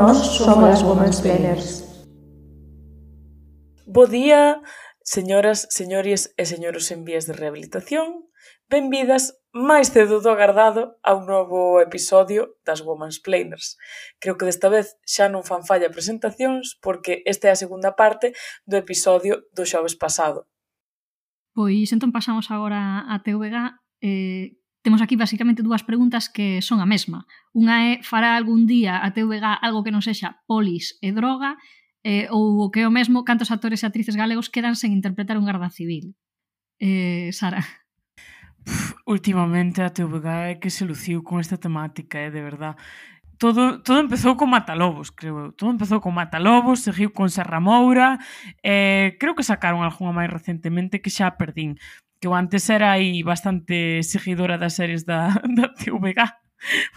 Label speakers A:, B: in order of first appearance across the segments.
A: Nós somos as Womansplainers.
B: Bo día, señoras, señores e señoros en vías de rehabilitación. Benvidas máis cedo do agardado a un novo episodio das Womansplainers. Creo que desta vez xa non fan falla presentacións porque esta é a segunda parte do episodio do xoves pasado.
C: Pois entón pasamos agora a TVG. Temos aquí basicamente dúas preguntas que son a mesma. Unha é, fará algún día a TVG algo que non sexa polis e droga? Ou o que é o mesmo, cantos actores e actrices galegos quedan sen interpretar un garda civil? Sara.
B: Últimamente a TVG é que se luciu con esta temática, de verdad. Todo empezou con Matalobos, creo eu. Todo empezou con Matalobos, seguiu con Serra Moura, creo que sacaron algunha máis recentemente que xa perdín, que eu antes era aí bastante seguidora das series da TVG,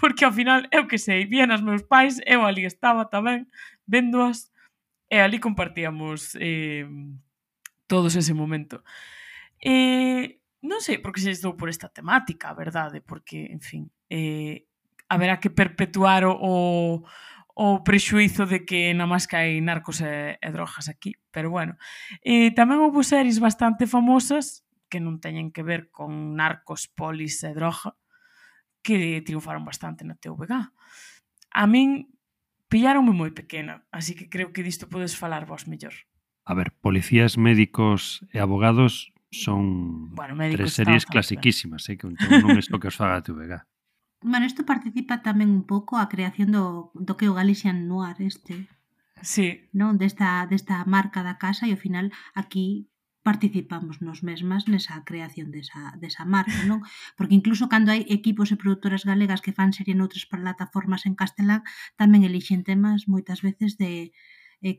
B: porque ao final, eu que sei, vían as meus pais, eu ali estaba tamén, véndoas, e ali compartíamos todos ese momento. Non sei por que se estou por esta temática, a verdade, porque, en fin, haberá que perpetuar o prexuízo de que na máis que hai narcos e drogas aquí, pero bueno. Tamén houve series bastante famosas que non teñen que ver con narcos, polis e droga que triunfaron bastante na TVG. A min pillaronme moi pequena, así que creo que disto podes falar vos mellor.
D: A ver, Policías, Médicos e Abogados son tres series clasiquísimas, que non é o que os faga a TVG.
E: Bueno, isto participa tamén un pouco a creación do que o Galician Noir
B: sí,
E: non? Desta marca da casa e ao final aquí participamos nos mesmas nesa creación desa marca, non? Porque incluso cando hai equipos e produtoras galegas que fan serie noutras plataformas en castelán, tamén elixen temas moitas veces de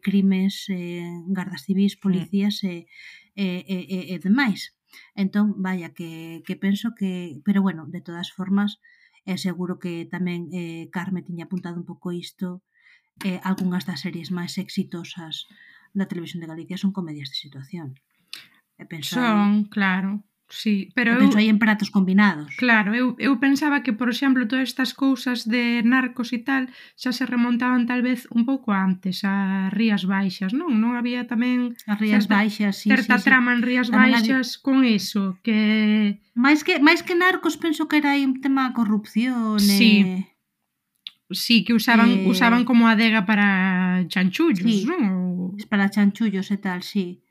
E: crimes, gardas civis, policías e demais. Entón, vaya, que penso que... Pero bueno, de todas formas, seguro que tamén Carme tiña apuntado un pouco isto, algunhas das series máis exitosas da televisión de Galicia son comedias de situación.
F: Son, claro, sí, pero
E: penso aí en Pratos Combinados.
F: Claro, eu pensaba que, por exemplo, todas estas cousas de narcos e tal xa se remontaban tal vez un pouco antes a Rías Baixas, non? Non había tamén
E: as Rías Baixas,
F: certa trama en Rías Baixas con eso, que...
E: máis que narcos penso que era aí un tema de corrupción.
F: Sí, que usaban como adega para chanchullos, non?
E: Para chanchullos e tal, sí.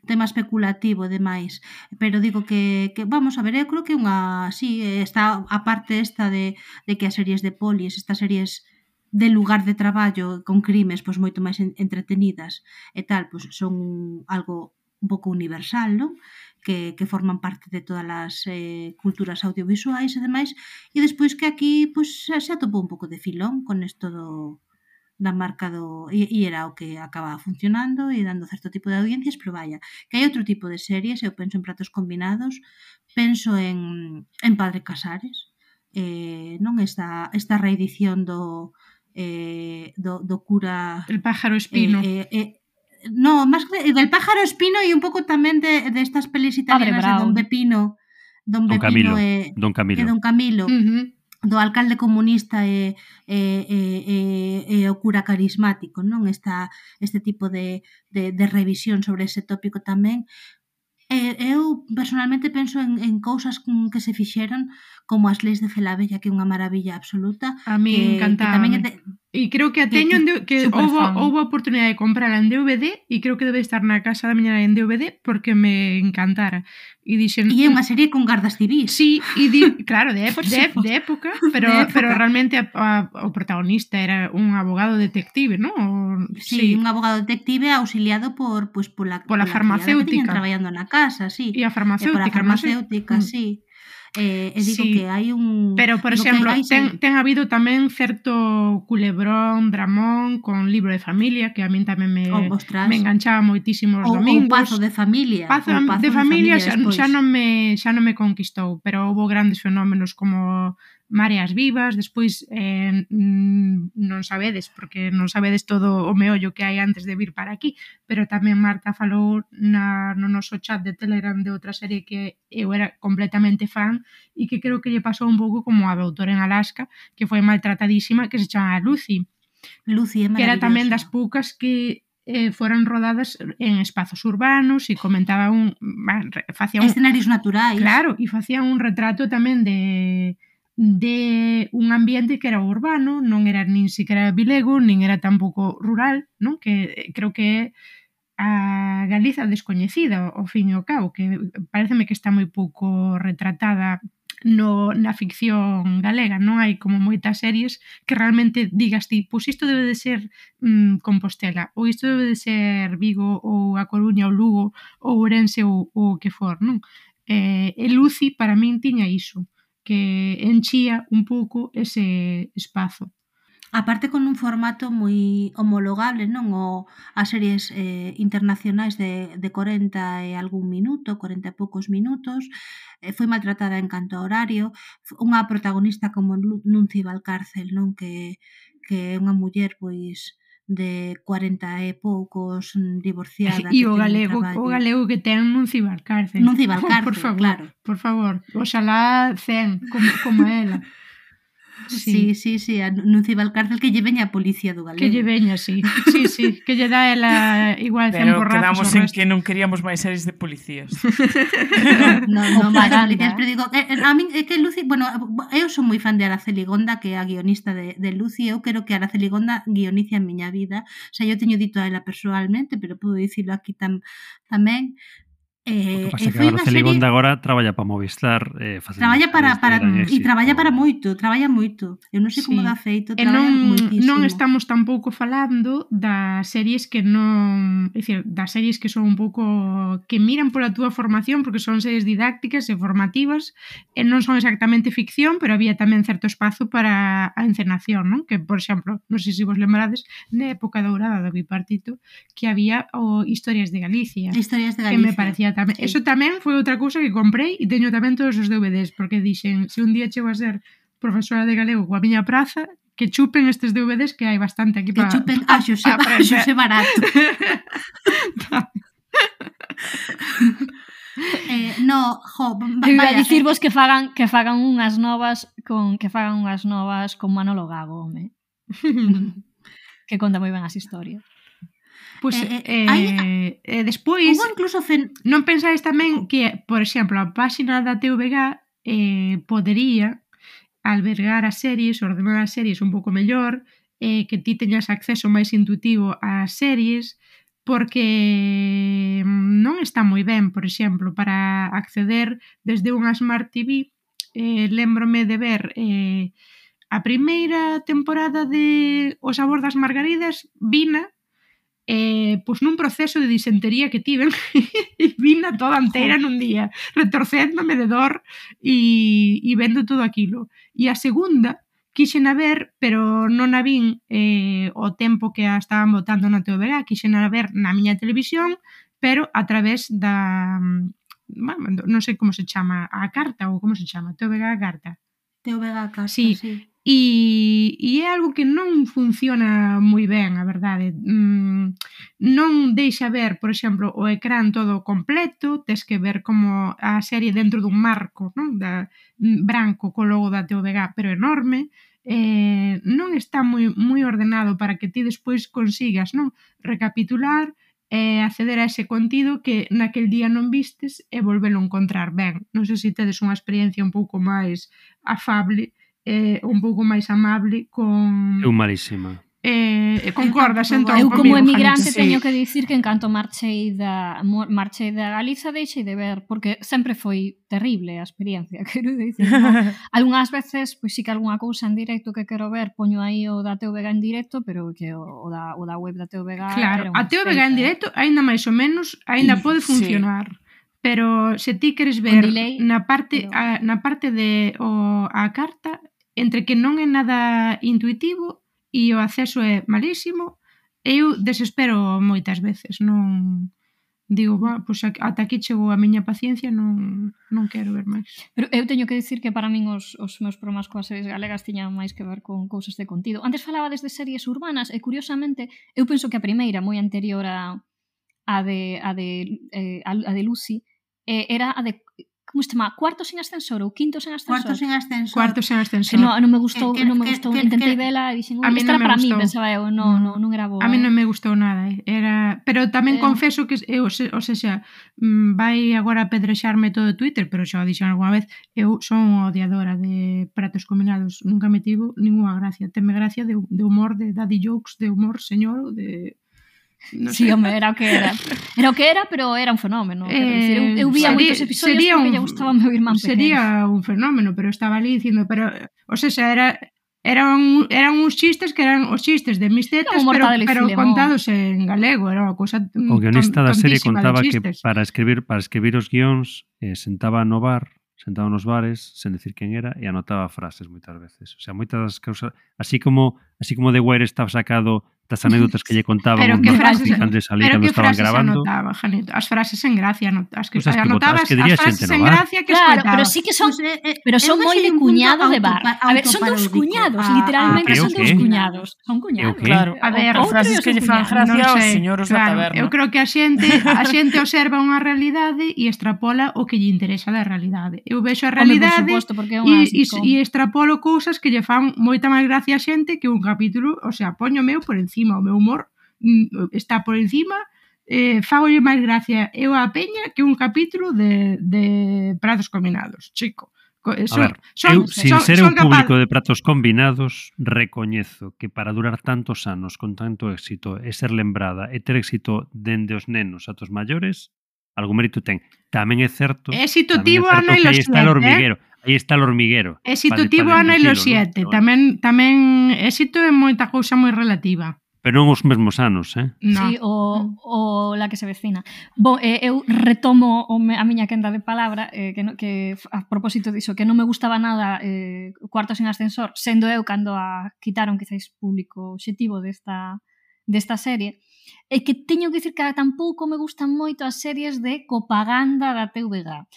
E: Tema especulativo, demais. Pero digo que vamos a ver, eu creo que unha... Sí, está a parte esta de que as series de polis, estas series de lugar de traballo con crimes pois moito máis entretenidas e tal, pois son algo un pouco universal, non? Que forman parte de todas as culturas audiovisuais e demais, e despois que aquí pois se atopou un pouco de filón con isto da marca e era o que acaba funcionando e dando certo tipo de audiencias, pero vaya, que hai outro tipo de series, eu penso en Pratos Combinados, penso en Padre Casares, non esta reedición do cura...
F: El pájaro espino.
E: No, máis que del pájaro espino e un pouco tamén de estas pelis italianas de Don Pepino, Don Camilo. E Don Camilo, do alcalde comunista e o cura carismático, non? Este tipo de revisión sobre ese tópico tamén. Eu personalmente penso en cousas que se fixeron como as leis de Felabella, que é unha maravilla absoluta.
F: A mí encantaba. E creo que a teño que houve a oportunidade de comprala en DVD e creo que debe estar na casa da miña en DVD porque me encantara. E
E: é unha serie con gardas civis.
F: Sí, claro, de época, pero realmente o protagonista era un abogado detective, non?
E: Sí, un abogado detective auxiliado pola
F: farmacéutica
E: que tiñan traballando na casa, sí.
F: E a farmacéutica,
E: sí. Digo que hai un...
F: Pero, por exemplo, ten habido tamén certo culebrón, dramón con Libro de Familia, que a min tamén me enganchaba moitísimo os domingos.
E: O Pazo de Familia.
F: Pazo de Familia xa non me conquistou, pero houve grandes fenómenos como Mareas Vivas, despois non sabedes, porque non sabedes todo o meollo que hai antes de vir para aquí, pero tamén Marta falou no noso chat de Telegram de outra serie que eu era completamente fan e que creo que lle pasou un pouco como a Doutora en Alaska, que foi maltratadísima, que se chama Lucy.
E: Lucy é maravillosa.
F: Que era tamén das poucas que foran rodadas en espazos urbanos e comentaba
E: escenarios naturais.
F: Claro, e facían un retrato tamén de un ambiente que era urbano, non era nin siquiera vilego, nin era tampouco rural, non? Que creo que é a Galiza descoñecida, ao fin e ao cabo, que pareceme que está moi pouco retratada na ficción galega. Non hai como moitas series que realmente digas ti, pois isto debe de ser Compostela, ou isto debe de ser Vigo, ou A Coruña, ou Lugo, ou Ourense, ou o que for, non? E Lucy, para min, tiña iso, que enchía un pouco ese espazo.
E: Aparte con un formato moi homologable, non? As series internacionais de 40 e algún minuto, 40 e poucos minutos, foi maltratada en canto a horario, unha protagonista como Nunci Valcárcel, non? Que é unha muller, pois, de 40 e poucos, divorciada.
F: E o galego que ten Nunci Valcárcel.
E: Nunci Valcárcel,
F: por favor,
E: claro.
F: Por favor, oxalá 100 como ela.
E: Sí, a Nunci Valcárcel que lle veña a policía do galego.
F: Que lle veña, sí, que lle dá ela igual 100
B: pero
F: borrazos.
B: Pero quedamos en que non queríamos máis series de policías.
E: non máis policías, pero digo, a min é que Lucy, bueno, eu son moi fan de Araceli Gonda, que é a guionista de Lucy, eu quero que Araceli Gonda guionice a miña vida, o sea, eu teño dito a ela personalmente, pero podo dicilo aquí tamén.
D: O que pasa que Araceli Gonda agora traballa para Movistar,
E: traballa para moito, traballa moito. Eu non sei como dá feito, traballa moitísimo.
F: Non estamos tampouco falando das series que non, é dicir, das series que son un pouco que miran pola túa formación, porque son series didácticas e formativas, e non son exactamente ficción, pero había tamén certo espazo para a encenación, non? Que, por exemplo, non sei se vos lembrades, na época dourada do Bipartito, que había Historias de Galicia.
E: Historias de
F: Que
E: Galicia.
F: me parecía tamén. Sí. Eso tamén foi outra cousa que comprei e teño tamén todos os DVDs, porque dixen, se un día chego a ser profesora de galego coa miña praza, que chupen estes DVDs que hai bastante aquí para...
E: Que chupen a Xosé Barato.
C: Iba a dicirvos que fagan unhas novas con Manolo Gago, home. Que conta moi ben as historias.
F: Pois, despois, non pensades tamén que, por exemplo, a páxina da TVG podería albergar as series, ordenar as series un pouco mellor, que ti teñas acceso máis intuitivo ás series, porque non está moi ben, por exemplo, para acceder desde unha Smart TV. Lembrome de ver a primeira temporada de O sabor das margaridas, vina pois nun proceso de disentería que tiven e vina toda inteira nun día, retorcéndome de dor e vendo todo aquilo. E a segunda quixen a ver, pero non a vin o tempo que a estaban botando na TVG, quixen a ver na miña televisión, pero a través da, non sei como se chama, a carta ou como se chama, TVG a carta.
E: TVG a carta,
F: sí. E é algo que non funciona moi ben, a verdade. Non deixa ver, por exemplo, o ecrán todo completo, tes que ver como a serie dentro dun marco, non? Branco co logo da TVG, pero enorme. Non está moi ordenado para que ti despois consigas, non? Recapitular e acceder a ese contido que naquel día non vistes e volvelo a encontrar ben. Non sei se tedes unha experiencia un pouco máis afable, un pouco máis amable con...
D: Eu malísima.
F: Concordas entón
C: eu
F: comigo,
C: como emigrante
F: Janita?
C: teño que dicir que en canto marchei da Galiza deixei de ver, porque sempre foi terrible a experiencia, quero dicir, no? Algunhas veces, pois sí que algunha cousa en directo que quero ver, poño aí o da TVG en directo, pero que o da web da TVG...
F: Claro, a TVG en directo ainda máis ou menos ainda pode funcionar. Pero se ti queres ver delay, na parte de a carta, entre que non é nada intuitivo e o acceso é malísimo, eu desespero moitas veces, non digo, pois ata aquí chegou a miña paciencia, non quero ver máis.
C: Pero eu teño que dicir que para min os meus problemas coas series galegas tiñan máis que ver con cousas de contido. Antes falaba desde series urbanas e curiosamente eu penso que a primeira, moi anterior a de Lucy, era a de como se chama? Cuarto sen ascensor ou quinto sen ascensor?
E: Cuarto sen ascensor.
F: Cuarto sen ascensor.
C: Que non me gustou, intentei vela e dixen, esta era para mí, pensaba eu, non era boa.
F: A mí non me gustou nada, pero tamén confeso que o sea, vai agora a pedrexarme todo Twitter, pero xa o dixen algunha vez, eu son odiadora de pratos combinados, nunca me tivo ninguna gracia, teme gracia de humor, de daddy jokes, de humor señor, de... No
C: sí, home, era o que era. Era o que era, pero era un fenómeno. Eu vía moitos episodios porque lle gustaba meu irmán pequeno.
F: Sería un fenómeno, pero estaba ali dicindo, pero, o sea, eran uns chistes que eran os chistes de mis tetas, pero contados en galego, era unha cousa tontísima.
D: O guionista da serie contaba que para escribir os guións sentaba no bar, sentado nos bares, sen decir quen era, e anotaba frases moitas veces. O sea, moitas das cousas, así como The Wire estaba sacado das anécdotas que lle contaban
F: pero que frases
D: salí cando estaban grabando.
F: Anotaba, Janito? As frases en gracia, as que
D: anotabas
F: as frases en gracia que
C: claro, pero sí que son pero son moi de cuñado de bar. A ver, son dous cuñados, literalmente son dous cuñados. Son cuñados.
B: Claro, a ver, as frases que lle fan gracia aos señoros da taberna.
F: Eu creo que a xente observa unha realidade e extrapola o que lle interesa da realidade. Eu vexo a realidade e extrapolo cousas que lle fan moita máis gracia a xente que un capítulo, o sea, poño meu por encima, o meu humor está por encima, fagolle máis gracia eu a peña que un capítulo de pratos combinados, chico.
D: A ver, eu, sin ser un público de pratos combinados, recoñezo que para durar tantos anos con tanto éxito e ser lembrada e ter éxito dende os nenos ata os maiores, algo mérito ten. Tamén é certo
F: éxito tivo Ana e los 7,
D: aí está o hormiguero.
F: Éxito tivo Ana e los 7, tamén éxito é moita cousa moi relativa.
D: Pero non os mesmos anos,
C: No. Sí, o la que se vecina. Eu retomo a miña quenda de palabra que a propósito diso, que non me gustaba nada Cuarto sen ascensor, sendo eu cando a quitaron quizáis público objetivo desta serie, e que teño que dicir que tampouco me gustan moito as series de copaganda da TVG.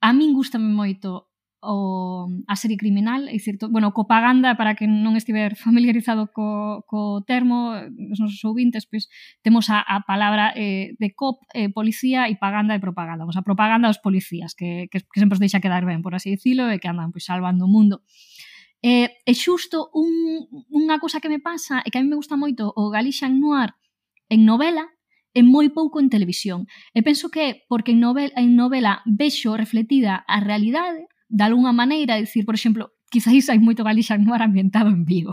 C: A min gustame moito a serie criminal, é dicir, copaganda, para que non estiver familiarizado co termo, os nosos ouvintes, pois temos a palabra de cop, policía, e paganda e propaganda. A propaganda dos policías, que sempre os deixa quedar ben, por así dicilo, e que andan pois salvando o mundo. E xusto unha cousa que me pasa é que a mí me gusta moito o Galician Noir en novela e moi pouco en televisión. E penso que é porque en novela vexo refletida a realidade de alguna maneira, dicir, por exemplo, quizáis hai moito Galician Noir ambientado en Vigo,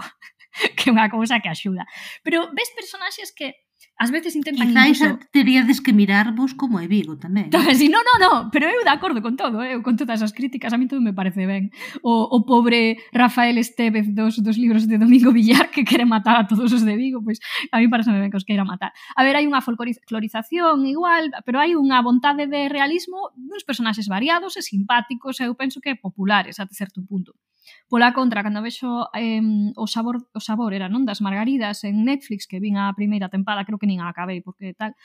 C: que é unha cousa que axuda. Pero ves personaxes que ás veces intentan...
E: Quizáis teríades que mirarvos como é Vigo tamén.
C: Sí, no, pero eu de acordo con todo, eu con todas as críticas, a mí todo me parece ben. O pobre Rafael Estévez dos libros de Domingo Villar que quere matar a todos os de Vigo, pois a mí parece ben que os queira matar. A ver, hai unha folclorización igual, pero hai unha vontade de realismo duns personaxes variados e simpáticos, eu penso que populares até certo punto. Pola contra, cando vexo o sabor era non das Margaridas en Netflix, que vin a primeira tempada, creo que nin a acabei porque tal,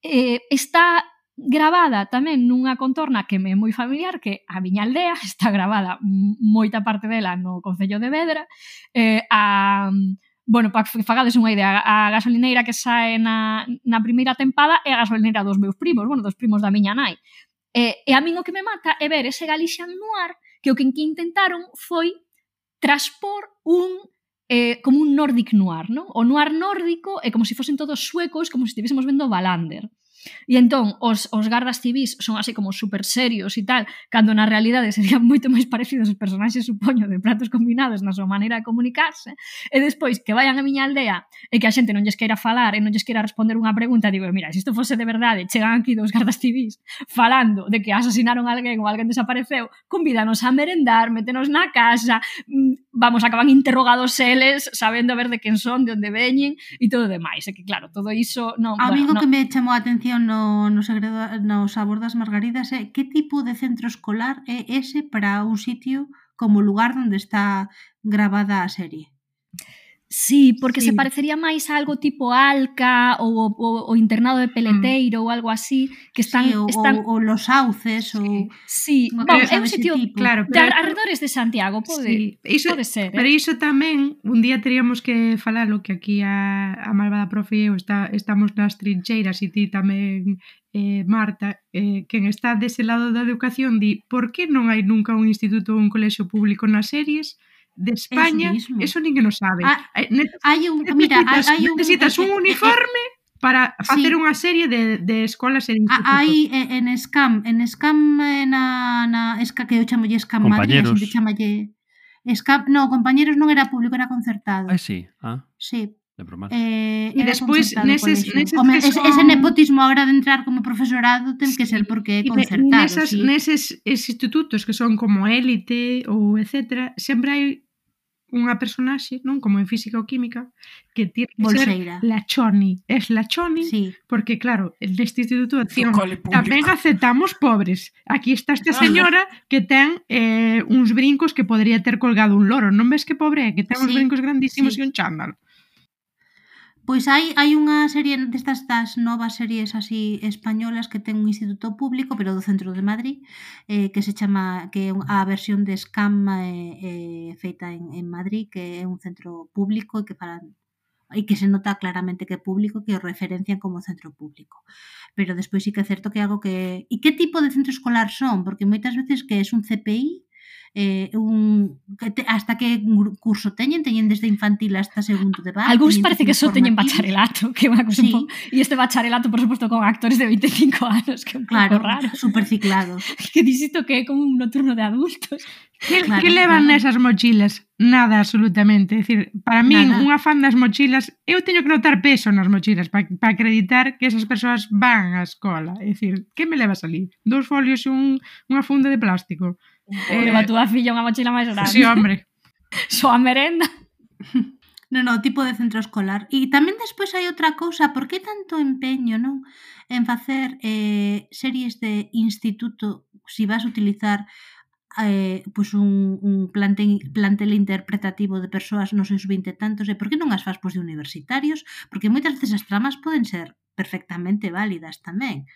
C: está gravada tamén nunha contorna que me é moi familiar, que a miña aldea, está gravada moita parte dela no concello de Vedra, para que fagades unha idea, a gasolineira que sae na primeira tempada é a gasolineira dos meus primos, dos primos da miña nai. E a min o que me mata é ver ese Galician Noir que o que intentaron foi transpor como un Nordic Noir, non? O noir nórdico é como se fosen todos suecos, como se estivésemos vendo Wallander. E entón, os gardas civis son así como super serios e tal, cando na realidade serían moito máis parecidos os personaxes, supoño, de pratos combinados na súa maneira de comunicarse, e despois que vayan a miña aldea e que a xente non lles queira falar e non lles queira responder unha pregunta, digo, mira, se isto fose de verdade, chegan aquí dos gardas civis falando de que asasinaron a alguén ou alguén desapareceu, convídanos a merendar, métenos na casa, acaban interrogados eles, sabendo a ver de quen son, de onde veñen e todo demais, e que claro, todo iso non...
E: A mí o que me chamou a atención no sabor das Margaridas é que tipo de centro escolar é ese para un sitio como o lugar onde está gravada a serie.
C: Sí, porque se parecería máis a algo tipo Alca ou o internado de Peleteiro ou algo así, que están...
E: ou Los Sauces, ou...
C: Sí, é un sitio de arredores de Santiago, pode ser.
F: Pero iso tamén, un día teríamos que falalo, que aquí a malvada profe e eu estamos nas trincheiras e ti tamén, Marta, quen está dese lado da educación di, por que non hai nunca un instituto ou un colexio público nas series de España? Eso ninguén o sabe. Necesitas un uniforme para facer unha serie de escolas e institutos.
E: Hai en Scam na que eu chamolle Scam Madrid, a xente chamalle Scam, no, compañeros non era público, era concertado.
D: Sí.
E: Sí.
F: E despois neses
E: ese nepotismo a hora de entrar como profesorado ten que ser porque é concertado.
F: Neses institutos que son como élite ou etcétera, sempre hai unha personaxe, non, como en física ou química, que tiene que
E: Bolseira.
F: Ser la Choni. Es la Choni,
E: sí.
F: Porque claro, neste instituto de acción tamén aceptamos pobres. Aquí está esta señora que ten uns brincos que podría ter colgado un loro. Non ves que pobre é? Que ten uns brincos grandísimos e un chándal.
E: Pois hai unha serie destas das novas series así españolas que ten un instituto público, pero do centro de Madrid, que se chama, que é a versión de Scam feita en Madrid, que é un centro público e que se nota claramente que é público, que o referencian como centro público. Pero despois sí que é certo que é algo que... E que tipo de centro escolar son? Porque moitas veces que é un CPI, hasta que curso teñen desde infantil hasta segundo de base.
C: Algúns parece que só teñen bacharelato, que é unha cousa e este bacharelato, por suposto, con actores de 25 anos, que é un pouco raro.
E: Superciclado.
C: Que dixito que é como un nocturno de adultos.
F: Que levan nesas mochilas? Nada, absolutamente. É dicir, para min, unha fan das mochilas, eu teño que notar peso nas mochilas para acreditar que esas persoas van á escola. É dicir, que me levas ali? 2 folios e unha funda de plástico.
C: Leva a túa filla unha mochila máis grande.
F: Sí, hombre.
C: Só a merenda.
E: No, tipo de centro escolar. E tamén despois hai outra cousa, por que tanto empeño, non? En facer series de instituto, si vas a utilizar pois un plantel interpretativo de persoas nos seus 20 e tantos, e por que non as fas de universitarios? Porque moitas veces as tramas poden ser perfectamente válidas tamén.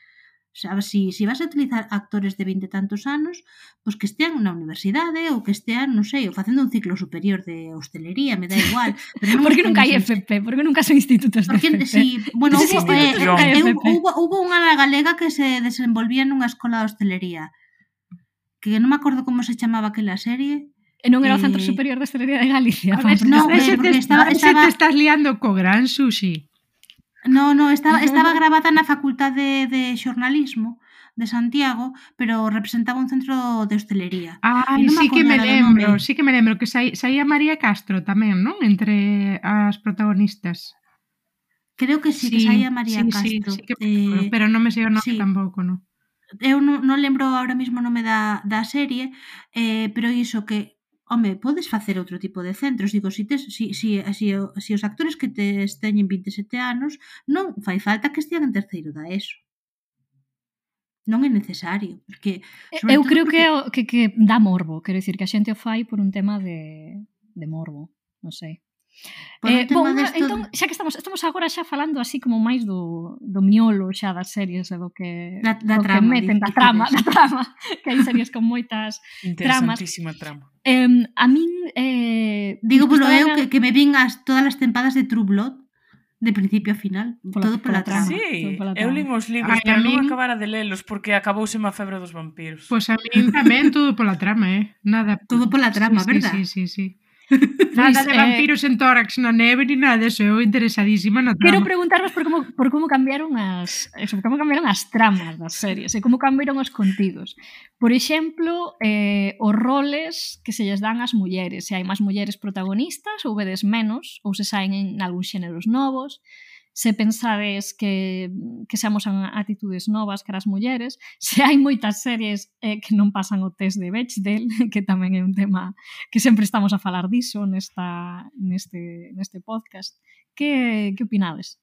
E: Sabes, si vas a utilizar actores de 20 e tantos anos, pois que estean na universidade ou que estean, non sei, ou facendo un ciclo superior de hostelería, me dá igual.
C: Pero non porque nunca hai FP, porque nunca son institutos de FP.
E: Bueno, hubo unha galega que se desenvolvía nunha escola de hostelería, que non me acordo como se chamaba aquela serie.
C: E non era o Centro Superior de Hostelería de Galicia.
E: Non, porque
F: te estás liando co gran sushi.
E: No, estaba grabada na Facultade de Xornalismo de Santiago, pero representaba un centro de hostelería.
F: Sí que me lembro que saía María Castro tamén, non? Entre as protagonistas.
E: Creo que sí, que saía María Castro.
F: Sí, pero non me sei o nome tampouco, non?
E: Eu non lembro ahora mesmo o nome da serie, pero iso que home, podes facer outro tipo de centros. Digo, si os actores que teñen 27 anos non fai falta que estean en terceiro da ESO. Non é necesario. Porque,
C: eu creo que dá morbo. Quero dicir que a xente o fai por un tema de morbo. Non sei. Entón, xa que estamos agora xa falando así como máis do miolo xa das series e do que meten da trama, que hai series con moitas tramas.
B: Interesantísima trama.
C: A min
E: digo polo eu que me vin todas as tempadas de True Blood de principio a final, todo pola trama.
B: Sí, eu lin os libros, pero non acabara de lelos porque acabouse a febre dos vampiros.
F: Pois a min tamén todo pola trama, nada.
E: Todo pola trama, verdad?
F: Sí. Nada de vampiros en tórax na neve ni nada de eso, eu interesadísima na trama.
C: Quero preguntarvos por como cambiaron as tramas das series e como cambiaron os contidos. Por exemplo, os roles que se lles dan ás mulleres, se hai máis mulleres protagonistas ou vedes menos, ou se saen en algúns xéneros novos. Se pensades que seamos atitudes novas cara as mulleres, se hai moitas series que non pasan o test de Bechdel, que tamén é un tema que sempre estamos a falar diso neste podcast. Que opinades?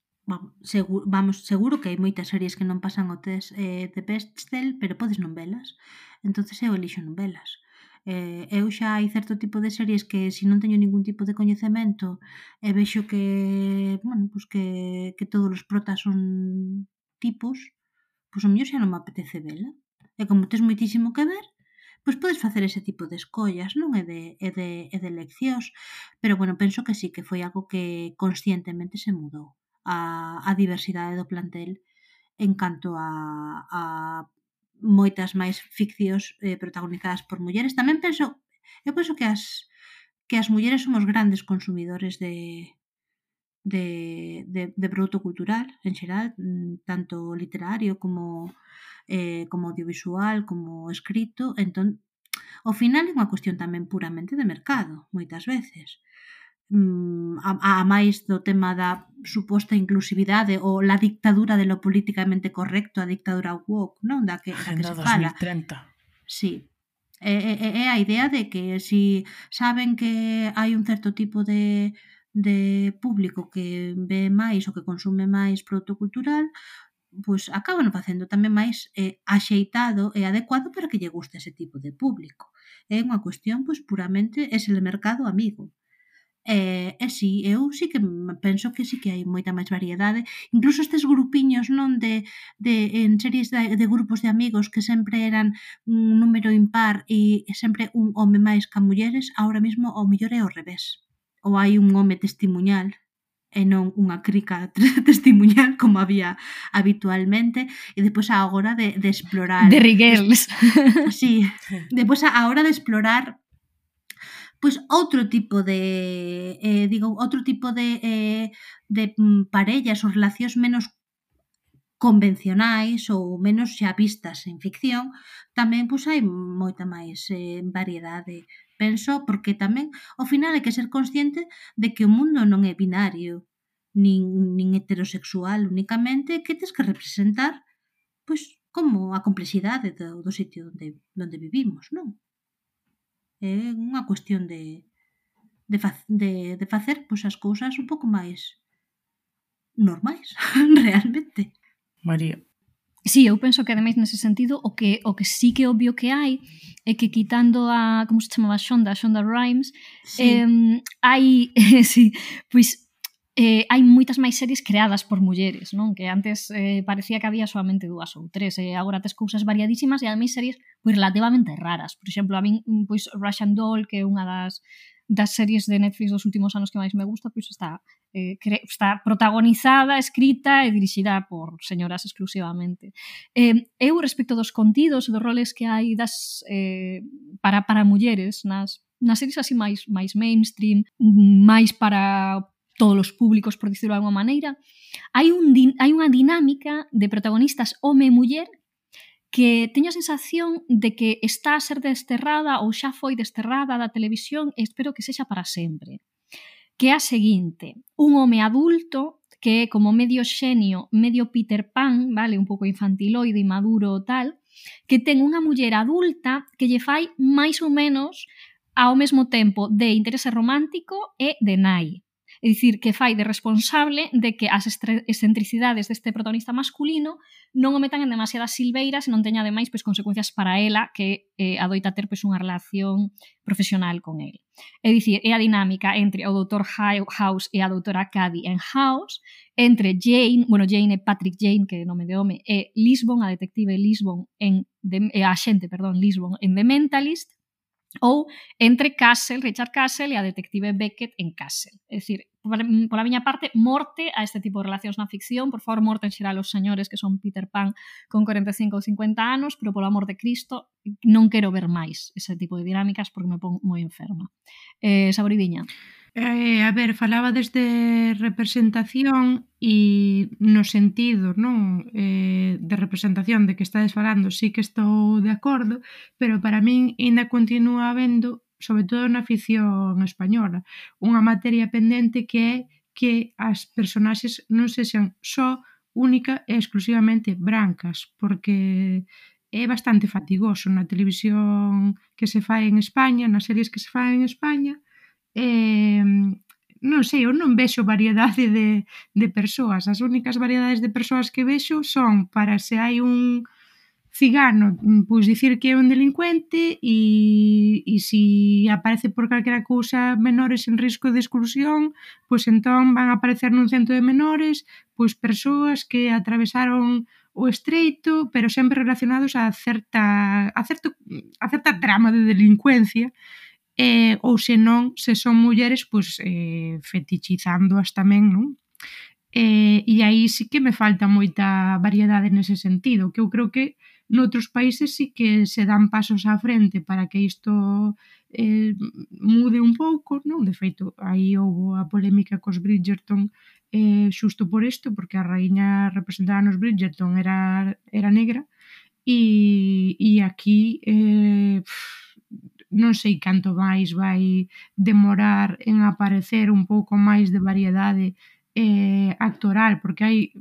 E: Seguro que hai moitas series que non pasan o test de Bechdel, pero podes non velas. Entonces eu elixo non velas. Eu xa hai certo tipo de series que se non teño ningún tipo de coñecemento e vexo que, bueno, pues que todos os protas son tipos, pois o mellor xa non me apetece vela. E como tes moitísimo que ver, pois podes facer ese tipo de escollas, non? E de eleccións. Pero, bueno, penso que sí, que foi algo que conscientemente se mudou a diversidade do plantel en canto a moitas máis ficcións protagonizadas por mulleres. Tamén penso, eu penso que as mulleres somos grandes consumidores de produto cultural en xeral, tanto literario como audiovisual, como escrito. Entón, ao final é unha cuestión tamén puramente de mercado, moitas veces. A máis do tema da suposta inclusividade ou la dictadura de lo políticamente correcto, a dictadura woke, non? Da que se fala.
B: 2030.
E: Sí. É a idea de que si saben que hai un certo tipo de público que ve máis ou que consume máis produto cultural, pois acaban facendo tamén máis axeitado e adecuado para que lle guste ese tipo de público. É unha cuestión pois puramente es el mercado amigo. E si, eu sí que penso que sí que hai moita máis variedade. Incluso estes grupiños, non, en series de grupos de amigos que sempre eran un número impar e sempre un home máis que mulleres, ahora mesmo ao mellor é ao revés. Ou hai un home testimuñal e non unha crica testimuñal como había habitualmente, e depois a hora de explorar
C: de Rigels.
E: Sí, depois a hora de explorar pois outro tipo de parellas ou relacións menos convencionais ou menos xa vistas en ficción, tamén pois hai moita máis variedade. Penso porque tamén ao final hai que ser consciente de que o mundo non é binario nin heterosexual únicamente, que tes que representar pois como a complexidade do sitio onde vivimos, non? É unha cuestión de facer pois as cousas un pouco máis normais, realmente.
B: María.
C: Sí, eu penso que ademais nese sentido o que sí que obvio que hai é que quitando a, como se chamaba, Shonda Rhimes, sí. Hai sí, pois hai moitas máis series creadas por mulleres, non? Que antes parecía que había solamente 2 ou 3, e agora tes cousas variadísimas e ademais series pois relativamente raras. Por exemplo, a min pois Russian Doll, que é unha das series de Netflix dos últimos anos que máis me gusta, pois está protagonizada, escrita e dirixida por señoras exclusivamente. Eu, respecto dos contidos e dos roles que hai para mulleres nas series así máis mainstream, máis para todos os públicos, por dicirlo de alguma maneira, hai unha dinámica de protagonistas home e muller que teño a sensación de que está a ser desterrada ou xa foi desterrada da televisión e espero que sexa para sempre. Que é a seguinte: un home adulto que é como medio xenio, medio Peter Pan, vale, un pouco infantiloide, maduro tal, que ten unha muller adulta que lle fai máis ou menos ao mesmo tempo de interese romántico e de nai. É dicir, que fai de responsable de que as excentricidades deste protagonista masculino non o metan en demasiadas silveiras e non teña ademais pois consecuencias para ela que adoita ter pois unha relación profesional con el. É dicir, é a dinámica entre o Dr. House e a doutora Cady en House, entre Jane e Patrick Jane, que é nome de home, e Lisbon, a detective Lisbon a xente Lisbon en The Mentalist, ou entre Richard Castle e a detective Beckett en Castle. É dicir, pola miña parte, morte a este tipo de relacións na ficción, por favor, morte en xeral os señores que son Peter Pan con 45 ou 50 anos, pero polo amor de Cristo non quero ver máis ese tipo de dinámicas porque me pon moi enferma. Saboridiña.
F: A ver, falaba desde representación e no sentido, non, de representación de que estades falando, sí que estou de acordo, pero para min ainda continúa habendo, sobre todo na ficción española, unha materia pendente que é que as personaxes non sexan só única e exclusivamente brancas, porque é bastante fatigoso na televisión que se fai en España, nas series que se fai en España. Non sei, eu non vexo variedade de persoas. As únicas variedades de persoas que vexo son para se hai un cigano, pois dicir que é un delincuente e se aparece por calquera cousa menores en risco de exclusión, pois entón van a aparecer nun centro de menores pois persoas que atravesaron o estreito, pero sempre relacionados a certa trama de delincuencia, ou senón, se son mulleres, pois fetichizándoas tamén, non? E aí sí que me falta moita variedade nese sentido, que eu creo que noutros países sí que se dan pasos á frente para que isto mude un pouco, non? De feito, aí houve a polémica cos Bridgerton xusto por isto, porque a raíña representada nos Bridgerton era negra e aquí non sei canto máis vai demorar en aparecer un pouco máis de variedade actoral, porque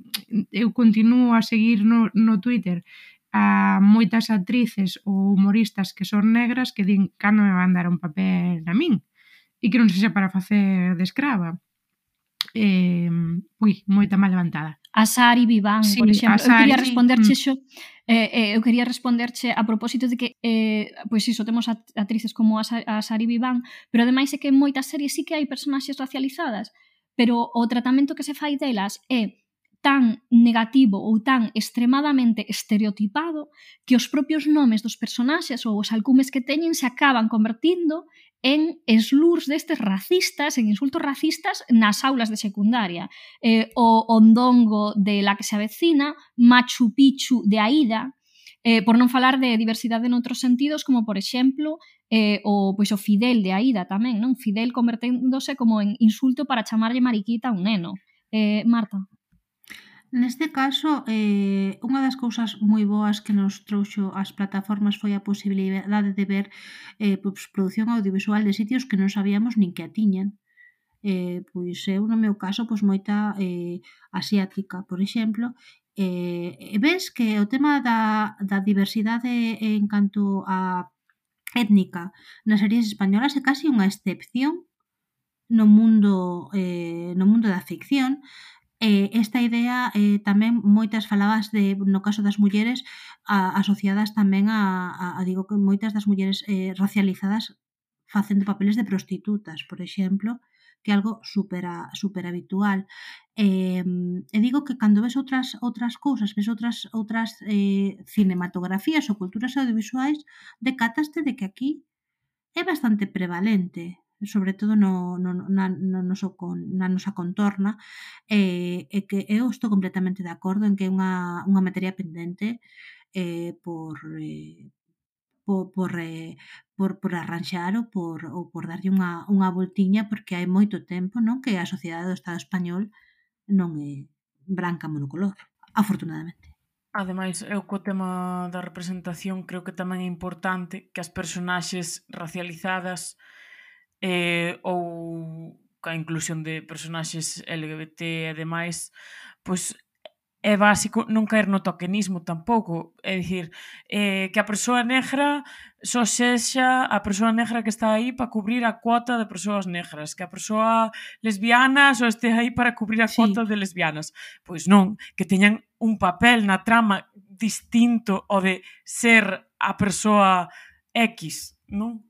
F: eu continuo a seguir no Twitter a moitas actrices ou humoristas que son negras que din cando me van dar un papel a min e que non sexa para facer de escrava. Moita mal levantada.
C: A Sari Viván, sí, por exemplo, eu quería responderche a propósito de que pois iso, temos actrices como a Sari Viván, pero ademais é que en moitas series sí que hai personaxes racializadas, pero o tratamento que se fai delas é tan negativo ou tan extremadamente estereotipado que os propios nomes dos personaxes ou os alcumes que teñen se acaban convertindo en slurs destes racistas, en insultos racistas nas aulas de secundaria. O ondongo de La que se avecina, Machu Picchu de Aida, por non falar de diversidade noutros sentidos, como por exemplo o Fidel de Aida tamén, non? Fidel converténdose como en insulto para chamarlle mariquita a un neno. Marta.
E: Neste caso, unha das cousas moi boas que nos trouxo as plataformas foi a posibilidade de ver produción audiovisual de sitios que non sabíamos nin que a tiñan. Pois eu, no meu caso, moita asiática, por exemplo, ves que o tema da diversidade en canto a étnica nas series españolas é casi unha excepción no mundo da ficción. Esta idea tamén moitas falabas no caso das mulleres asociadas tamén a digo que moitas das mulleres racializadas facendo papeles de prostitutas, por exemplo, que é algo super habitual. E digo que cando ves outras cousas, ves outras cinematografías ou culturas audiovisuais, decataste de que aquí é bastante prevalente, sobre todo na nosa contorna, e que eu estou completamente de acordo en que é unha materia pendente por arranxar ou por darlle unha voltiña, porque hai moito tempo, non, que a sociedade do Estado español non é branca monocolor, afortunadamente.
B: Ademais, eu co tema da representación creo que tamén é importante que as personaxes racializadas ou a inclusión de personaxes LGBT e demais, pois é básico non caer no tokenismo tampouco, é dicir, que a persoa negra só sexa a persoa negra que está aí para cubrir a cuota de persoas negras, que a persoa lesbiana só este aí para cubrir a cuota de lesbianas. Pois non, que teñan un papel na trama distinto ao de ser a persoa X, non?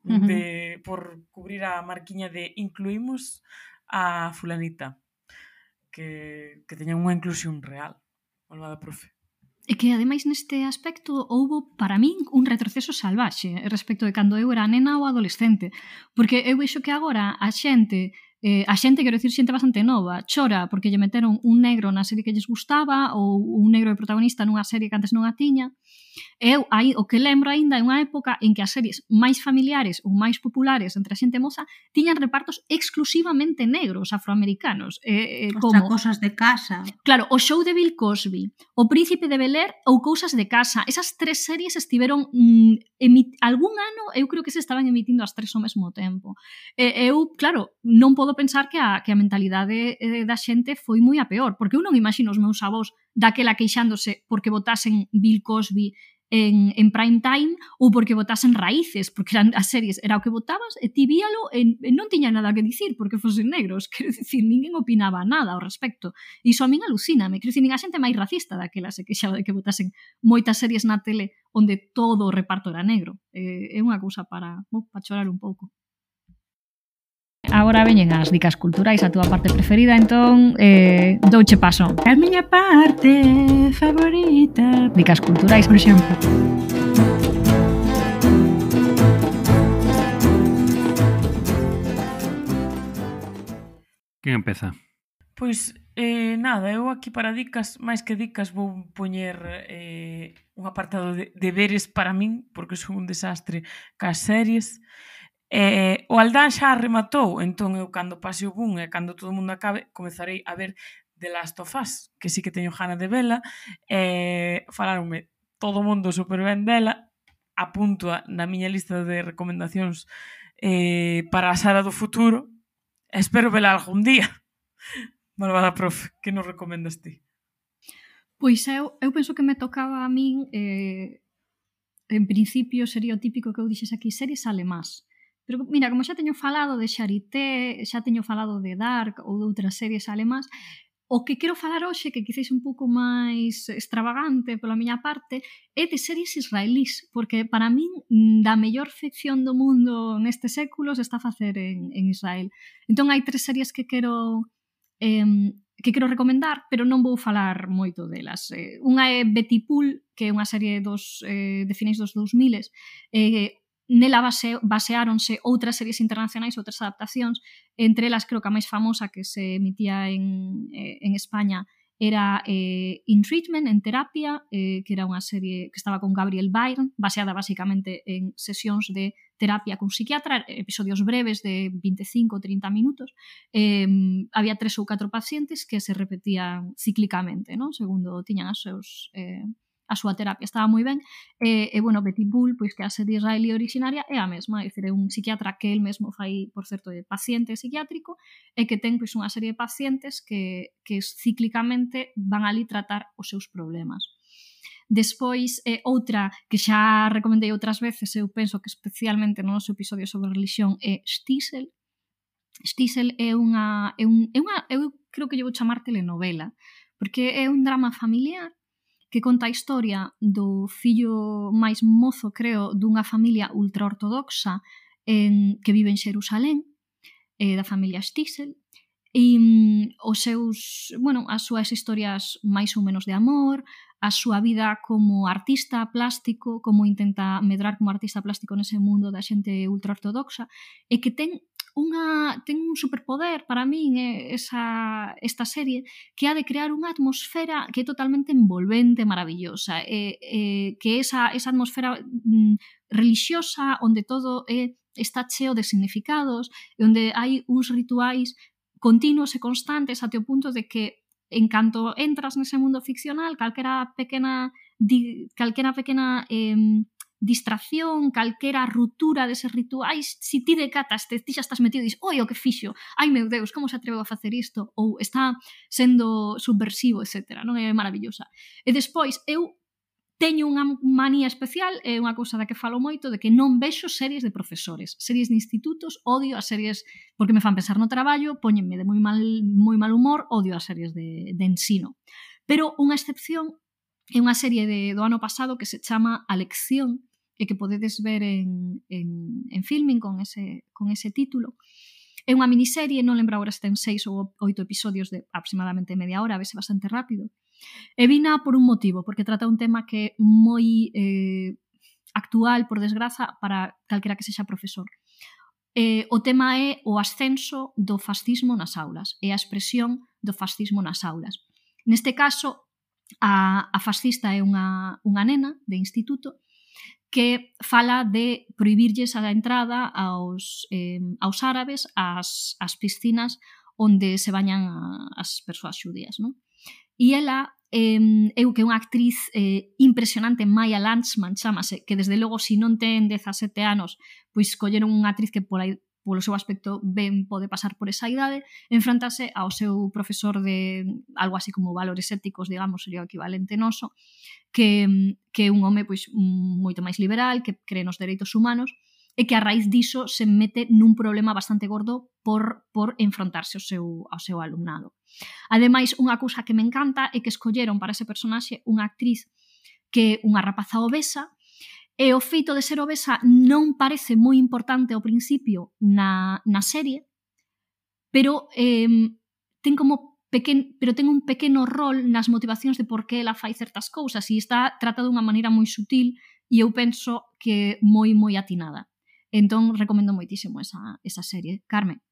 B: Por cubrir a marquiña de incluímos a fulanita, que teñan unha inclusión real. Malvada profe.
C: E que, ademais, neste aspecto houbo, para min, un retroceso salvaxe respecto de cando eu era nena ou adolescente. Porque eu vexo que agora a xente, quero dicir, xente bastante nova, chora porque lle meteron un negro na serie que lles gustaba ou un negro de protagonista nunha serie que antes non a tiña. Eu, aí, o que lembro aínda é unha época en que as series máis familiares ou máis populares entre a xente moza tiñan repartos exclusivamente negros afroamericanos.
E: Como Cosas de casa.
C: Claro, o show de Bill Cosby, O Príncipe de Bel-Air ou Cousas de casa. Esas tres series estiveron algún ano, eu creo que se estaban emitindo as tres ao mesmo tempo. Eu, claro, non podo pensar que a mentalidade da xente foi moi a peor, porque eu non imagino os meus avós daquela queixándose porque botasen Bill Cosby en prime time ou porque botasen Raíces, porque eran as series, era o que botabas e ti víalo e non tiña nada que dicir porque fosen negros, quero dicir, ninguén opinaba nada ao respecto. Iso a min alucíname, quero dicir, nin a xente máis racista daquela se queixaba de que botasen moitas series na tele onde todo o reparto era negro. É unha cousa para chorar un pouco. Agora veñen as dicas culturais, a túa parte preferida, entón douche paso.
F: A miña parte favorita.
C: Dicas culturais, por exemplo.
D: Quen empeza?
B: Pois, nada, eu aquí para dicas, máis que dicas, vou poñer un apartado de deberes para min, porque son un desastre cas series. O Aldán xa rematou, entón eu cando pase o boom e cando todo o mundo acabe comezarei a ver The Last of Us, que sí que teño gana de vela, falaronme todo o mundo super ben dela, apunto na miña lista de recomendacións para a Sara do futuro, espero vela algún día. Malvada profe, que nos recomendas ti?
C: Pois eu penso que me tocaba a min, en principio sería o típico que eu dixes aquí, series alemás. Pero mira, como xa teño falado de Charité, xa teño falado de Dark ou de outras series alemás, o que quero falar hoxe, que quizás un pouco máis extravagante pola miña parte, é de series israelís, porque para min da mellor ficción do mundo neste século se está a facer en Israel. Entón hai 3 series que quero recomendar, pero non vou falar moito delas. Unha é Betty Pool, que é unha serie de finais dos 2000s, nela baseáronse outras series internacionais, outras adaptacións, entre elas creo que a máis famosa que se emitía en España era In Treatment, en terapia, que era unha serie que estaba con Gabriel Byrne, baseada basicamente en sesións de terapia con psiquiatra, episodios breves de 25 ou 30 minutos. Había 3 ou 4 pacientes que se repetían cíclicamente, non? Segundo tiñan a súa terapia, estaba moi ben. Bueno, Betty Pool, pois que a serie israelí originaria é a mesma, é dicir, é un psiquiatra que el mesmo fai, por certo, de paciente psiquiátrico e que ten pois unha serie de pacientes que cíclicamente van ali tratar os seus problemas. Despois, outra que xa recomendei outras veces, eu penso que especialmente no noso episodio sobre religión, é Shtisel. Shtisel é unha eu creo que lle vou chamar telenovela, porque é un drama familiar que conta a historia do fillo máis mozo, creo, dunha familia ultraortodoxa que vive en Xerusalén, da familia Shtisel, e as súas historias máis ou menos de amor, a súa vida como artista plástico, como intenta medrar como artista plástico nese mundo da xente ultraortodoxa, e que ten un superpoder para min esta serie, que ha de crear unha atmosfera que é totalmente envolvente, maravillosa, que esa atmosfera religiosa onde todo está cheo de significados e onde hai uns rituais continuos e constantes até o punto de que en canto entras nese mundo ficcional, calquera pequena distracción, calquera ruptura deses rituais, si ti decatas, ti xa estás metido e dis, oi, o que fixo, ai meu Deus, como se atreveu a facer isto, ou está sendo subversivo, etc. Non é maravillosa. E despois, eu teño unha manía especial, é unha cousa da que falo moito, de que non vexo series de profesores, series de institutos, odio as series porque me fan pensar no traballo, póñenme de moi mal humor, odio as series de ensino. Pero unha excepción é unha serie do ano pasado que se chama A Lección, e que podedes ver en Filmin con ese título. É unha miniserie, non lembro agora se ten 6 ou 8 episodios de aproximadamente media hora, vese bastante rápido. E vina por un motivo, porque trata un tema que é moi actual, por desgraza, para calquera que sexa profesor. O tema é o ascenso do fascismo nas aulas, e a expresión do fascismo nas aulas. Neste caso, a fascista é unha nena de instituto que fala de prohibirlles a entrada aos árabes ás piscinas onde se bañan as persoas xudías, non? E ela é unha actriz impresionante, Maya Landsman, chamase, que desde logo, se non ten 17 anos, pois colleron unha actriz que polo seu aspecto ben pode pasar por esa idade, enfrontase ao seu profesor de algo así como valores éticos, digamos, sería o equivalente noso, que é un home pois moito máis liberal, que cree nos dereitos humanos, e que a raíz diso se mete nun problema bastante gordo por enfrontarse ao seu alumnado. Ademais, unha cousa que me encanta é que escolleron para ese personaxe unha actriz que é unha rapaza obesa, e o feito de ser obesa non parece moi importante ao principio na serie, pero ten un pequeno rol nas motivacións de por que ela fai certas cousas e está tratada dunha maneira moi sutil e eu penso que moi atinada. Entón, recomendo moitísimo esa serie. Carmen?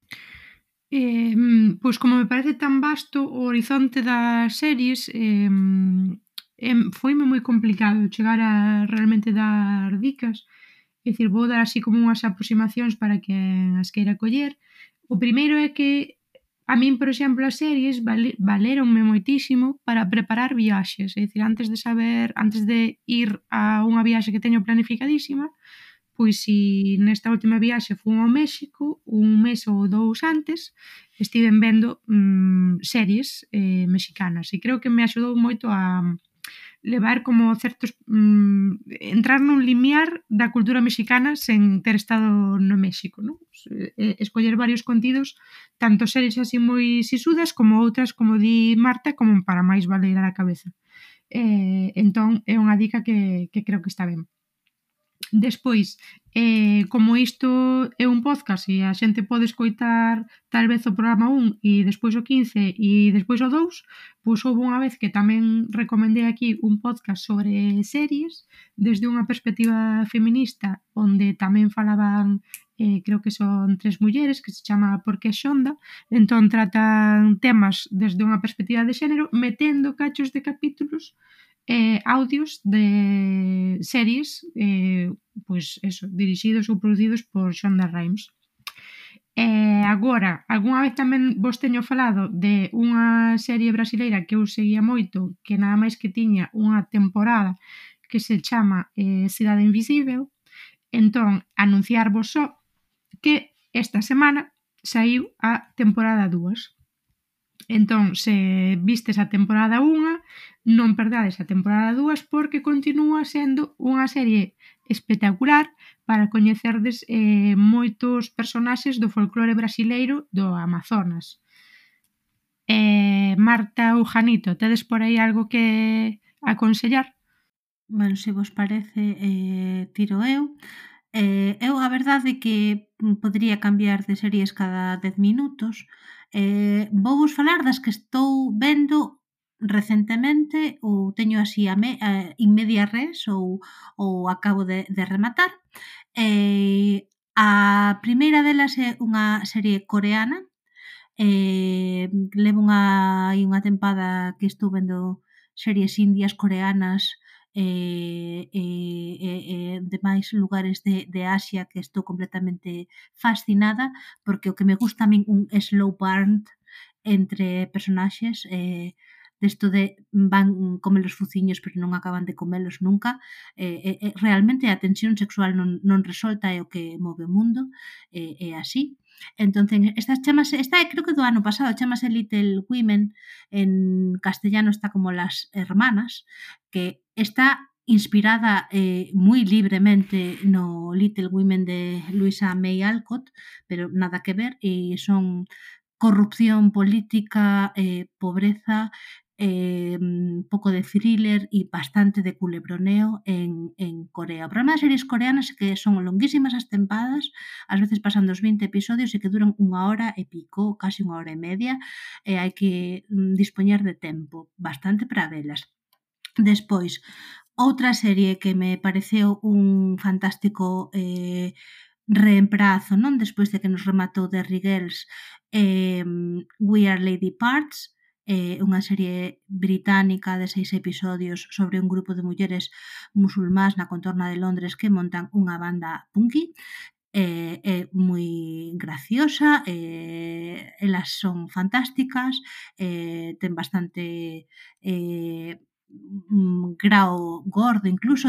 F: Pois como me parece tan vasto o horizonte das series, foime moi complicado chegar a realmente dar dicas. É dicir, vou dar así como unhas aproximacións para que as queira coller. O primeiro é que a min, por exemplo, as series valéronme moitísimo para preparar viaxes. É dicir, antes de ir a unha viaxe que teño planificadísima, pois si nesta última viaxe fui ao México, un mes ou 2 antes, estiven vendo series mexicanas e creo que me axudou moito a levar como certos entrar nun limiar da cultura mexicana sen ter estado no México, non? Escoller varios contidos, tanto series así moi sisudas como outras, como di Marta, como para máis valer a cabeza. Entón é unha dica que creo que está ben. Despois, como isto é un podcast e a xente pode escoitar tal vez o programa 1 e despois o 15 e despois o 2, pois houve unha vez que tamén recomendei aquí un podcast sobre series desde unha perspectiva feminista onde tamén falaban, creo que son 3 mulleres, que se chama Por que Xonda, entón tratan temas desde unha perspectiva de xénero metendo cachos de capítulos audios de series pois eso, dirixidos ou producidos por Shonda Rhimes. Agora, algunha vez tamén vos teño falado de unha serie brasileira que eu seguía moito, que nada máis que tiña unha temporada que se chama Cidade Invisível. Entón, anunciarvos só que esta semana saiu a temporada 2. Entón, se vistes a temporada 1, non perdades a temporada 2 porque continúa sendo unha serie espectacular para coñecerdes moitos personaxes do folclore brasileiro do Amazonas. Marta ou Janito, tedes por aí algo que aconsellar?
E: Bueno, se vos parece, tiro eu. Eu a verdade é que podría cambiar de series cada 10 minutos. Vou vos falar das que estou vendo recentemente ou teño así in media res ou acabo de rematar. A primeira delas é unha serie coreana. Levo unha tempada que estou vendo series indias, coreanas, de máis lugares de Asia, que estou completamente fascinada, porque o que me gusta a min un slow burn entre personaxes, desto de van comer os fuciños pero non acaban de comelos nunca, realmente a tensión sexual non resolta é o que move o mundo, é así. Entón, esta é creo que do ano pasado, chamase Little Women, en castellano está como Las Hermanas, que está inspirada moi libremente no Little Women de Louisa May Alcott, pero nada que ver, e son corrupción política, pobreza, pouco de thriller e bastante de culebroneo en Corea. O problema das series coreanas é que son longuísimas as tempadas, ás veces pasan dos 20 episodios e que duran 1 hora e pico, casi 1 hora e media, e hai que dispoñer de tempo bastante para velas. Despois, outra serie que me pareceu un fantástico reemprazo, non? Despois de que nos rematou Derry Girls, We Are Lady Parts, unha serie británica de 6 episodios sobre un grupo de mulleres musulmás na contorna de Londres que montan unha banda punky. É moi graciosa, elas son fantásticas, ten bastante grao gordo, incluso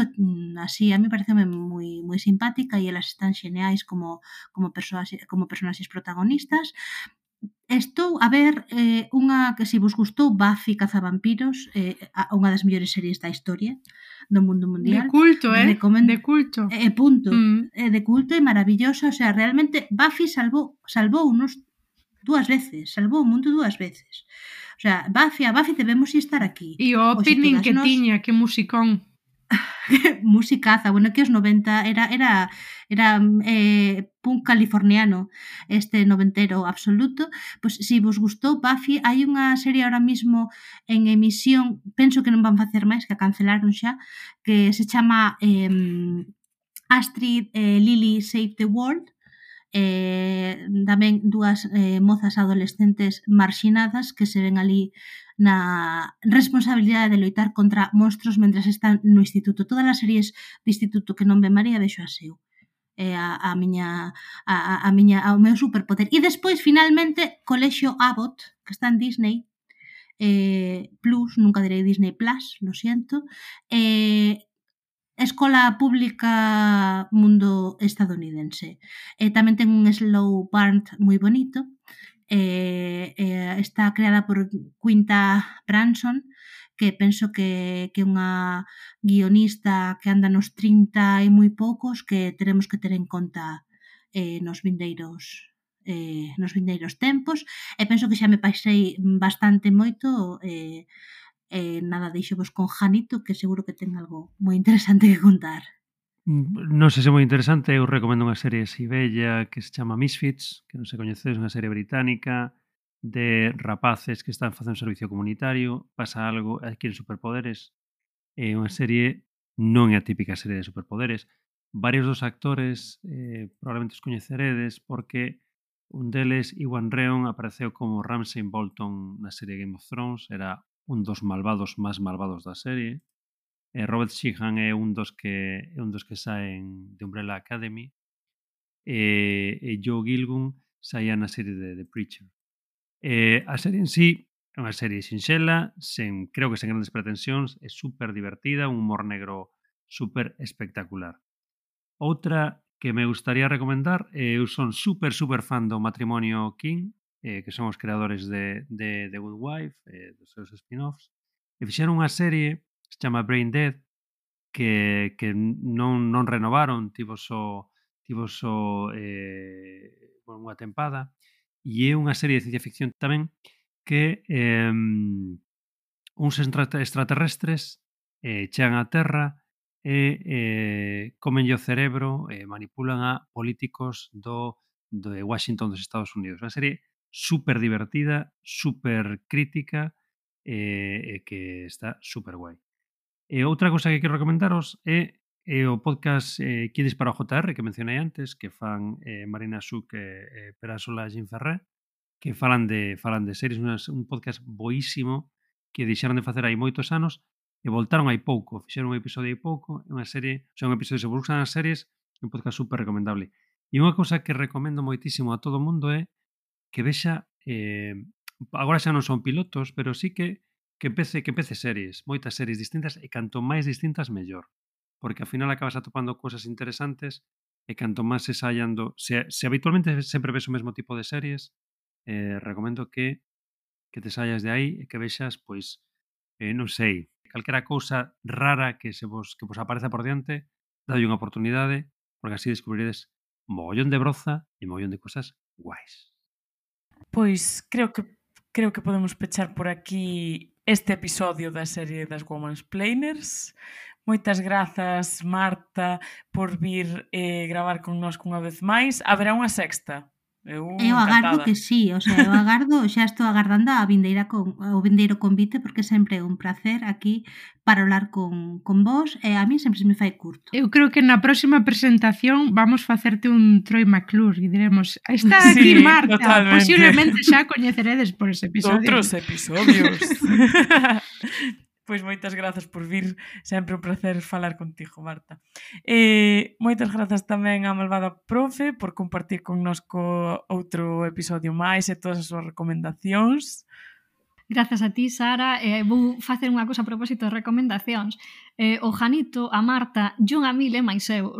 E: así, a mí pareceme moi simpática e elas están xeneais como personaxes protagonistas. Estou a ver unha que se vos gustou, Buffy Cazavampiros, unha das mellores series da historia do mundo mundial.
F: De culto, de culto.
E: Punto. De culto e maravillosa, o sea, realmente Buffy salvou unos 2 veces, salvou o mundo 2 veces. O sea, a Buffy debemos estar aquí.
F: E o opening que tiña, que musicón.
E: Musicaza, bueno, que os 90 era punk californiano, este noventero absoluto. Pois se vos gustou Buffy, hai unha serie ahora mismo en emisión, penso que non van facer máis, que a cancelaron xa, que se chama Astrid Lily Save the World. Tamén dúas mozas adolescentes marxinadas que se ven ali na responsabilidade de loitar contra monstros mentres están no instituto. Todas as series de instituto que non ve María vexo a seu. O meu superpoder. E despois, finalmente, Colexio Abbott, que está en Disney Plus, nunca direi Disney Plus, lo siento, escola pública mundo estadounidense. Tamén ten un slow burn moi bonito. Está creada por Quinta Brunson, que penso que é unha guionista que anda nos 30 e moi poucos, que teremos que ter en conta nos vindeiros tempos, e penso que xa me pasei bastante moito nada, deixovos con Janito, que seguro que ten algo moi interesante que contar.
D: Non sei se é moi interesante, eu recomendo unha serie así bella que se chama Misfits, que non se coñecedes, unha serie británica de rapaces que están facendo servicio comunitario, pasa algo, adquiren superpoderes. É unha serie, non é a típica serie de superpoderes. Varios dos actores probablemente os coñeceredes porque un deles, Iwan Rheon, apareceu como Ramsay Bolton na serie Game of Thrones, era un dos malvados máis malvados da serie. Robert Sheehan é un dos que saen de Umbrella Academy, e Joe Gilgun saía na serie de The Preacher. A serie en sí é unha serie sinxela, creo que sen grandes pretensións, é super divertida, un humor negro super espectacular. Outra que me gustaría recomendar, eu son super fan do Matrimonio King, que son os creadores de The Good Wife, dos seus spin-offs, e fixeron unha serie que se chama Brain Dead, que non renovaron, tivo só unha tempada, e é unha serie de ciencia ficción tamén que uns extraterrestres chegan á Terra e comenlle o cerebro e manipulan a políticos de Washington dos Estados Unidos. Unha serie super divertida, super crítica e que está super guai. E outra cousa que quero recomendaros é o podcast Kids para o JR que mencionei antes, que fan Marina Suc e Perasola Ginferré, que falan de series, un podcast boísimo que deixaron de facer hai moitos anos e voltaron hai pouco, fixeron un episodio hai pouco, é unha serie, un episodio se buscan as series, un podcast super recomendable. E unha cousa que recomendo moitísimo a todo o mundo é que vexa, agora xa non son pilotos, pero sí que empece series, moitas series distintas, e canto máis distintas, mellor. Porque ao final acabas atopando cousas interesantes e canto máis se saian se habitualmente sempre ves o mesmo tipo de series, recomendo que te saias de aí e que vexas, pois, non sei, calquera cousa rara que vos apareza por diante, dadlle unha oportunidade, porque así descubriredes mogollón de broza e mogollón de cousas guais.
B: Pois creo que podemos pechar por aquí este episodio da serie das Womansplainers. Moitas grazas, Marta, por vir gravar connosco unha vez máis. Haberá unha sexta.
E: Eu agardo que sí, o sea, xa estou agardando o vindeiro convite, porque sempre é un placer aquí para hablar con vos, e a mí sempre se me fai curto.
F: Eu creo que na próxima presentación vamos facerte un Troy McClure e diremos, está aquí Marta, totalmente. Posiblemente xa coñeceredes por ese episodio.
B: Outros episodios. Pois moitas grazas por vir, sempre un placer falar contigo, Marta. Moitas grazas tamén á malvada profe por compartir connosco outro episodio máis e todas as súas recomendacións.
C: Grazas a ti, Sara. Vou facer unha cosa a propósito de recomendacións. O Janito, a Marta, Jon Amil e máis eu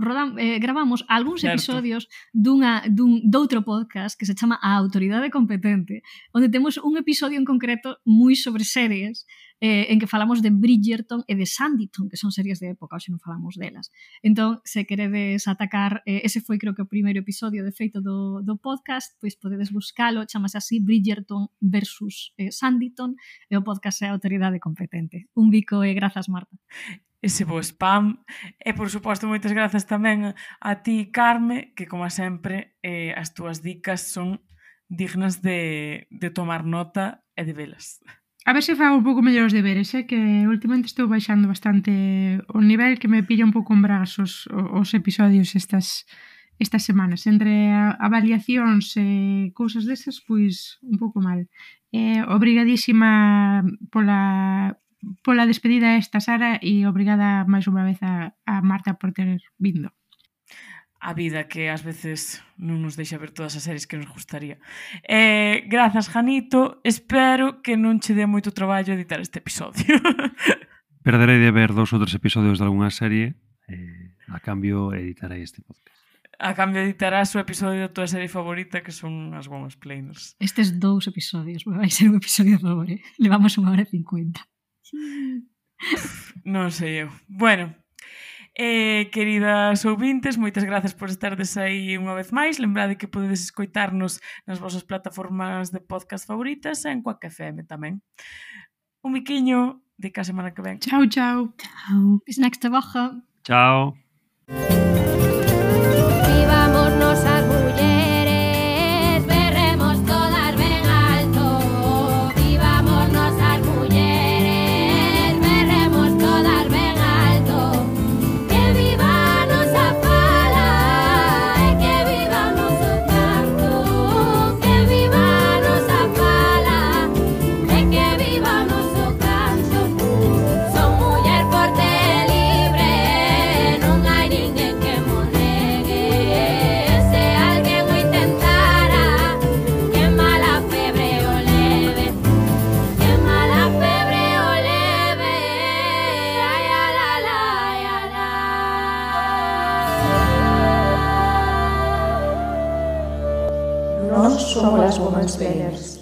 C: gravamos algúns episodios doutro podcast que se chama A Autoridade Competente, onde temos un episodio en concreto moi sobre series, en que falamos de Bridgerton e de Sanditon, que son series de época, hoxe non falamos delas. Entón, se queredes atacar, ese foi creo que o primeiro episodio de feito do podcast, pois podedes buscalo, chamase así Bridgerton versus Sanditon, e o podcast é A Autoridade Competente. Un bico e grazas, Marta.
B: Ese bo spam. E, por suposto, moitas grazas tamén a ti, Carme, que, como sempre, as túas dicas son dignas de tomar nota e de velas.
F: A ver se fago un pouco mellor os deberes, que últimamente estou baixando bastante o nivel, que me pilla un pouco en bragas os episodios estas semanas. Entre avaliacións e cousas desas, pois un pouco mal. Obrigadísima pola despedida esta, Sara, e obrigada máis unha vez a Marta por ter vindo.
B: A vida que ás veces non nos deixa ver todas as series que nos gustaría. Grazas, Janito. Espero que non che dé moito traballo editar este episodio.
D: Perderei de ver 2 ou 3 episodios de algunha serie, a cambio editarei este podcast.
B: A cambio editarás o episodio da tua serie favorita, que son as Women's Planers.
C: Estes 2 episodios, vai ser un episodio de favor, Levamos 1 hora e 50.
B: Non sei eu. Bueno, queridas ouvintes, moitas grazas por estardes aí unha vez máis. Lembrade que podedes escoitarnos nas vosas plataformas de podcast favoritas e en Quack FM tamén. Un miquiño de cada semana que ven.
F: Chao, chao.
C: Chao. Bis nächste Woche.
D: Chao.
G: Vivámonos as mulleres, berremos todas ben alto. Vivámonos as mulleres, berremos todas ben alto. Que viva a nosa fala e que viva o noso canto. Que viva a nosa fala e que viva o noso canto. Son muller forte e libre, non hai ninguén que mo negue. Se alguén o intentara, que mala febre o leve. Que mala febre o leve. Ai, ala, la, ai, ala.
A: Nós somos as Women's Planners.